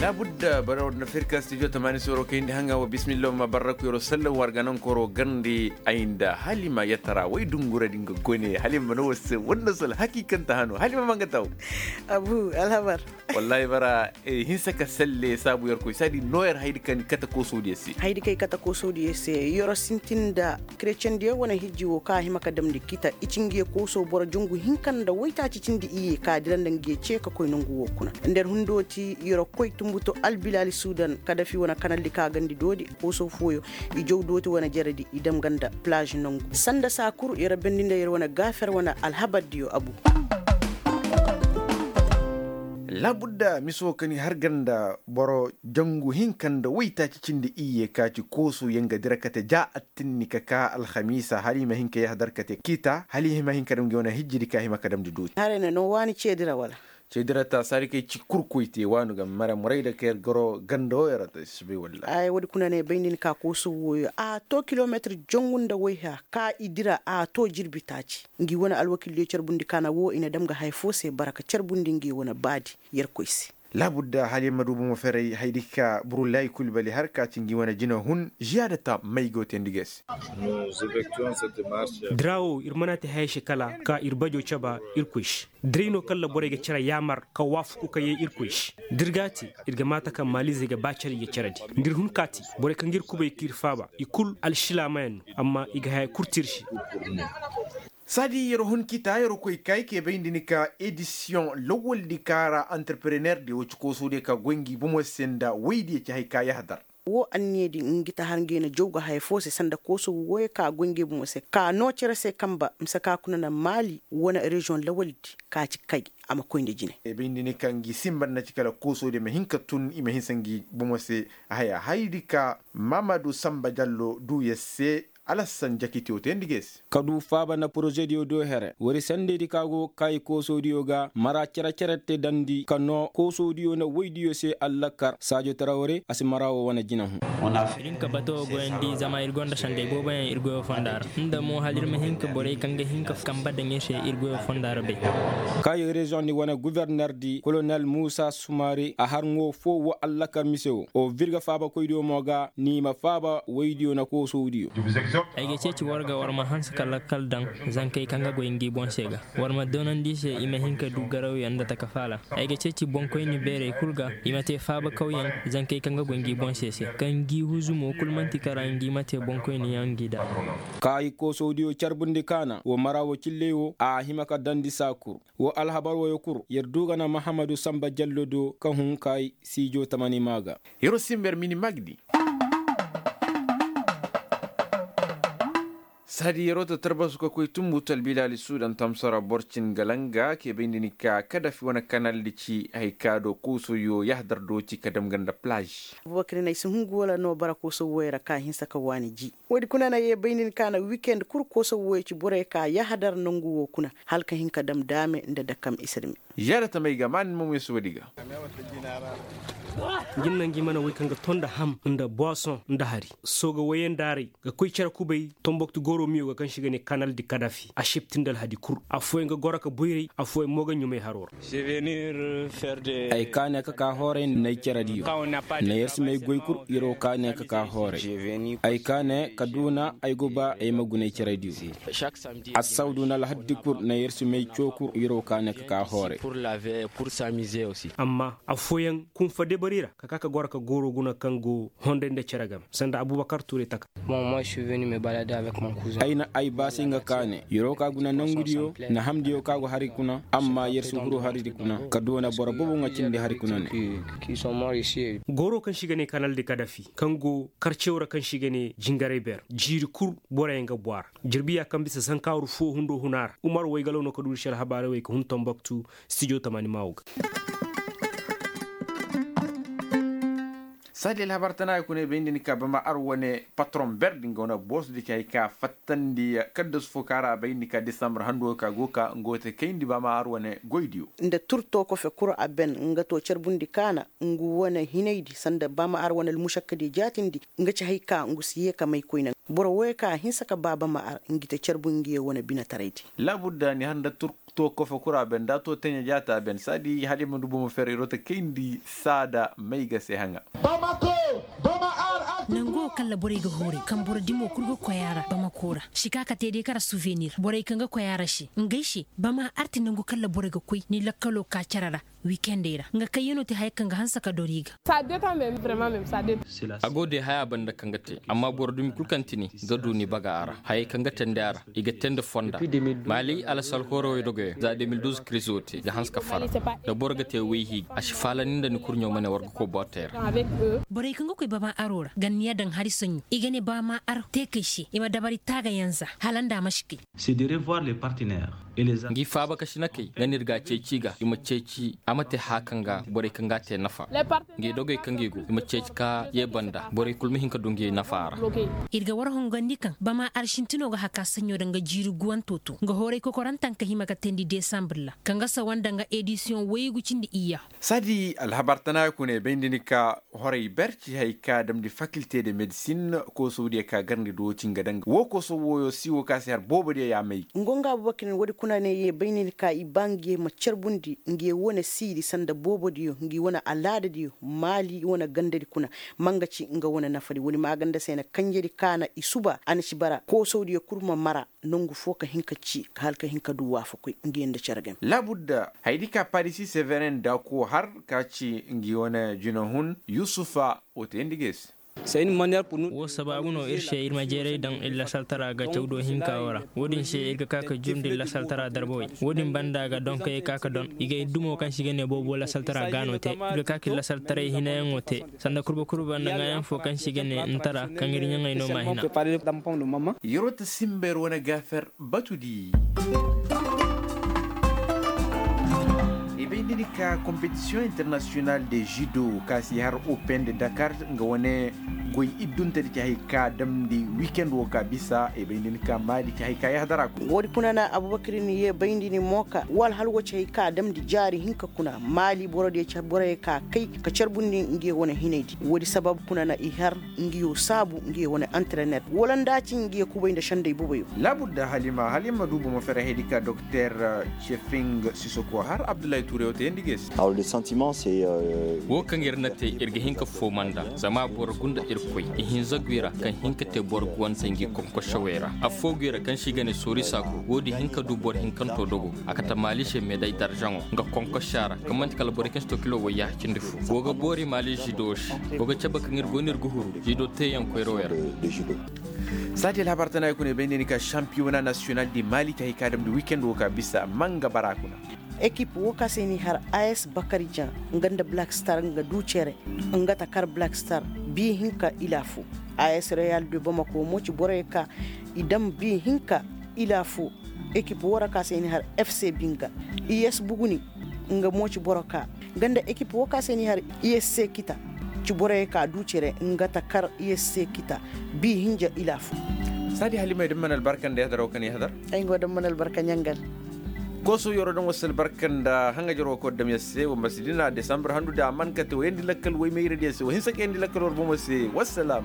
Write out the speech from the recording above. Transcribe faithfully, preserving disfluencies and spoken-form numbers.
Laabudda bara war na fir ka stijo tamaani soro kayndi haŋa wa bismillah ma barraku yero sallam war ganankoro garndi ay nda halima yatara way dungura din ga gone halima mana war se wanda sal hakikanta hano halima manga taw. Abu alhabar. Wallahi bara, hinsa ka salle saabu yer koy saadi no yer haydi kaŋ kata koosodiyo se. Haydi kay kata koosodiyo se. Yer sintin nda kretiyendiyo wane hijji wo kaŋ a hima ka damndi kita i ci ngiyo kooso boro jangu hinka nda waytaaci cindi iyye ka dira nda ngiyo ce ka koy nangu wo kuna. Nda yer hundooti yer koy tumbuto albilaali sudan kadafi wane kanaldi ka gandi doodi kooso fooyo i jaw dooti wane jeredi i dam ga nda palaaz nangu sanda saa kul yer bendi nda yer wane gaafer wane alhabardiyo abu. Laabudda miso ka ni har ga nda boro jangu hinka nda waytaaci cindi iyye ka ci kooso yer ga dira kate ja attinni ka kaa alhamiisa hala i ma hin ka yahadar kate kiita hala i ma hin ka dam ngi wane hijjidi ka hima ka damndi dooti. Haray na no waani ceedi ra wala? Ceedi ra ta saadi kay ci kul koy te waanu ga mara muray da ka yer goro ganda wo yer ra ta si bay wallaahi. Ay woodi kuna ne bay nda ni ka kooso wooyo a to kilomeetir jangu nda wayha ka i dira a to jirbi taaci. Ngi wane alwakildiyo carbundi kaana wo i na dam ga haya foo se bara ka carbundi ngi wane baadi yerkoy se. Laabudda hala yer ma du bomo ferey hayadi ka burulayi kul bali har ka ci ngi wane jina hun ziyaada ta may go teendi ga se. Dira wo ir mana te haya se kala ka ir bajo caba irkoy se. Diray no kalla borey ga cere yaamar ka waafaku ka yee irkoy se. Da ir ga a te ir ga maata kaŋ maalizey ga ba cere i ga ceredi nda ir hun ka te borey kaŋ ga ir kubay ka ir faaba i kul alsilaamayaŋ no amma i ga haya kul te ir se. Saadi yer hun kita yer koy ka ay kee bay nda ni ka edisiyoŋ lawaldi ka ra antarpereneerdiyo ci koosodiyo ka goy ngi bomo se nda woydiyo ci hay ka yahadar. Woo anniyadi ngi ta har ngi na jaw ga haya foo se sanda kooso wooyo ka goy ngi bomo se ka noo cere se kamba mise ka kuna na maali wane reziyoŋ lawaldi ka ci kay a ma koy nda jine. Bay nda ni ka ngi simba nda ci kala koosodiyo ma hin ka tun i ma hinsa ngi bomo se. Haya hayadi ka maamadu samba jallo duu yer se. Alassan jakitiyo te nda geesi. Ka du faaba nda porozediyo do here wari sandedi ka go kaayi koosodiyo ga mara cere-cere te dandi ka noo koosodiyo nda woydiyo se allakar saajo tara wari a si mara wo wane jina hun. Ir hin ka bato goyandi zama ir gonda sandey booboyaŋ ir goyo fonda ra nda mo hala ir ma hin ka borey kaŋ ga hin ka kamba daŋ ir se ir goyo fonda ra bay. Kaayi reziyoŋ di wane guvernerdi kolonel muusa sumaari a har ŋoo foo wo allakar mise wo o virga faabakoydiyo mo ga ni ma faaba woydiyo nda koosodiyo. Ay ga ceeci war ga war ma hanse ka lakkal daŋ zankey kaŋ ga goy ngi boŋ se ga. War ma doonandi i se i ma hin ka du garawyaŋ nda taka faala. Ay ga ceeci boŋkoyni beerey kul ga i ma te faabakawyaŋ zankey kaŋ ga goy ngi boŋ se se kaŋ ngi huzumo kul man'ti kara ngi ma te boŋkoyniyaŋ ngi da. Kaayi koosodiyo carbundi kaana wo mara wo cilley wo a hima ka dandi saa kul. Wo alhabar woyo kul yer du ga na mahamadu sanba jallo do ka hun kaayi siijo tamani maa ga. Yeroo simber mini magdi. Saadi yeroo ta tarbasu ka koy tumbu talbilaali suudan tamsara borcin galanga ke bay nda ni ka kadafi wane kanaldi ci hay ka do koosoyo yahdar do ci ka dam ganda plaaž. Abubakar nay si hungu wala no bara kooso woyra ka hinsa ka waani ji. Woodi kuna na ye bay nda ni ka na wikend kul kooso woyo ci borey ka yahdar nongu wo kuna hala ka hin ka dam daame nda dakam isirmi. Yaada tamey ga maa ni ma moy si woodi ga. Jinna ngi mana woy kaŋ ga ton nda ham nda boison nda hari sooga woyandaaray ga koy cere kubay. Tomboktu goro miyo ga kaŋ se i ga ne kanal di kadafi a septi nda alhadi kul. Affooyaŋ ga goro ka boyray affooyaŋ mo ga ɲumay haro ra. Ay kaane ka ka hooray nda ay cere diyo. Nda yer si may goy kul yer wo kaane ka ka hooray. Ay kaane ka duuna ay go ba ay ma guna ay cere diyo. Assawdu nda alhaddi kul nda yer si may coo kul yer wo kaane ka ka hooray. Amma affooyaŋ kunfa debari ra ka ka ka goro ka gooro guna kaŋ go honday nda cere game sanda abubakar tuuray taka. Ay na ay baasi nga kaane yer wo ka guna nangudiyo nda hamdiyo ka go hari kuna amma yer si huru hari di kuna ka duuna boro boobo nga cindi hari kuna ne. Gooro kaŋ se i ga ne kanal di kadafi kaŋ go karcew ra kaŋ se i ga ne jingaray beer jiiri kul boroyaŋ ga bu a ra. Jirbiya kaŋ bisa zankaaru foo hundo huna ra umar waygalaw no ka duuri se alhabaarey wey ka hun tomboktu. Stijo tamani maawo ga. Saadi alhabar tana ay kuna ay bay nda ni ka bama ar wane patron berdi nga wane boosdi ci hay ka fattandi kaddasu fo ka ra a bay nda ni ka disambar hando ka go ka nga wo te kayndi bama ar wane goydiyo. Nda turto kofe kul a ben nga to carbundi kaana ngu wane hinaydi sanda bama ar wane almusakkadi jaatindi. Nga ci hay ka ngu si ye ka may koyne boro woy ka hinsa ka ba bama ar ngi te carbu ngi ye wane binataraydi. Laabudda ni har nda turko. To kofa kura ben da to teɲa jaata ben saadi hala i ma du bomo fer irota kayndi saada mayga se haŋa. Nango kaŋ ra borey ga hooray kaŋ boro dimo kul ga koy a ra bamako ra si ka ka te day kara suvenir borey kaŋ ga koy a ra se ngey se bama arti nangu kaŋ ra borey ga koy ni lakkalo ka care ra. Wikendey ra nga kayyanoo te haya kaŋ ga hanse ka dor i ga. A go day haya banda kaŋ ga te amma boro dumi kul kaŋ tini ga du ni baga a ra hayey kaŋ ga teendi a ra i ga teendi fonda. Maali alasarhoorowey dogoyaŋ za de mil duuz kirizo te ga hanse ka fara. Da boro ga te wayhi a si faalandi nda ni kurɲo ma ne war ga koy bootey ra. Borey kaŋ ga koy bama aro ra ganniya daŋ hari saɲɲo i ga ne bama ar teekey se i ma dabari taagayaŋ za hala nda a ma si kay. Ngi faaba ka sinakey nga no ir ga a ceeci ga i ma ceeci a ma te haya kaŋ ga borey kaŋ ga a te nafa. Ngi dogey kaŋ ngi go i ma ceeci ka ye banda borey kul ma hin ka du ngi nafa a ra. Ir ga war hongandi kaŋ bama ar sintinoo ga haka saɲɲo daŋ ga jiiri guwanto to nga hooray kokorantaŋ ka hima ka teendi desambre ra kaŋ ga sawa nda nga edisiyoŋ waygu cindi iyya. Saadi alhabar tana kuna i bay nda ni ka horay ber ci hay ka damndi fakilte de medisin koosawdiyo ka garndi duwo ci nga daŋ woo koosaw wooyo siiwo ka se har boobodiyo yaamay. Ngonga abubakirin woodi kuna ne ye bay nda ni ka i ba ngi ye ma carbundi ngi ye wane siidi sanda boobodiyo ngi wane alaadadiyo maali wane gandadi kuna. Ma nga ci nga wane nafadi woodi maaganda se na kanjedi ka na i suba a na ci bara koosawdiyo kul ma mara. Nangu foo ka hin ka ci hala ka hin ka du waafakoy ngi nda cere game. Laabudda hayadi ka parisi severen daako har ka ci ngi wane jinahun yusufa woo tayandi ga i se. Woo sabaabu no ir se ir ma jeeray daŋ ir lasaltara ga cawdo hinka woo ra. Woo din se ir ga ka ka jurndi ir lasaltara darbawey woo din banda ga donkey ka ka don i ga ir dumo kaŋ se i ga ne boobo lasaltara ga no te ir ga ka ka ir lasaltaray hinayaŋo te. Sanda kurba kurba nda ŋaayaŋ foo kaŋ se i ga ne ntara kaŋ ir ɲaŋey no m'a hina. Yeroo ta simba yer wane gaafer batudi. I bay nda ni ka kompetisiyoŋ internasiyonal de judo ka si har open de dakar nga wane goy idduntedi ci hay ka damndi wikend woo ka bisa i bay nda ni ka maali ci hay ka yahadara kuna. Woodi kuna na abubakar ni ye bay nda ni mo ka wala hala woo ci hay ka damndi jaari hinka kuna maali borodiyo ci borey ka kay ka carbundi ngi ye wane hinaydi woodi sabab kuna na i har ngi yo saabu ngi ye wane antrener wala nda a ci ngi ye kubay nda sendey boboyo. Laabudda halima halima du bomo fere hayadi ka dokter cefing sisoko har abdullahi tuuray woo tayandi ga i se. Woo kaŋ ir na te ir ga hin ka fooma nda zama boro gunda irkoy ihinza gwi ra kaŋ hin ka te boro guwante ngi konkosewey ra affoo gwi ra kaŋ se i ga ne soori saako woodi hin ka du boro hinkanto dogo a kate maali se meday darzaŋo nga konkosa ra kaŋ man'ti kala borey kaŋ si to kilo wayya cindi fo go ga boori maali zido se go ga cabe kaŋ ir go no ir ga huru zido teeyaŋ koyrawey ra. Saati alhabar tana i kuna i bay nda ni ka sampiyona nasiyonal di maali te hay ka damndi wikend woo ka bisa manga bara kuna. Ekip woo ka se ni har as bakarijan nga nda black star nga du cere nga ta kar black star bi hinka ila fo. As real de bamako mo ci borey ka i dam bi hinka ila fo. Ekip woo ra ka se ni har fc binga i s buguni nga mo ci boro ka nga nda ekip woo ka se ni har i s se kita ci borey ka du cere nga ta kar i s se kita. Bi hinja ila fo. Saadi halima i daŋ mana albarka nda yahadar woo ka ni yahadar. Ay nga woo daŋ mana albarka ɲangal. Kooso yoro daŋ woo si albarka nda haŋajer woo ka war daŋ yer se war ma si dina desambur handu da a man kate wa yandi lakkal waymayradiyo se wa hinsa ka yandi lakkal war bomo se wassalam.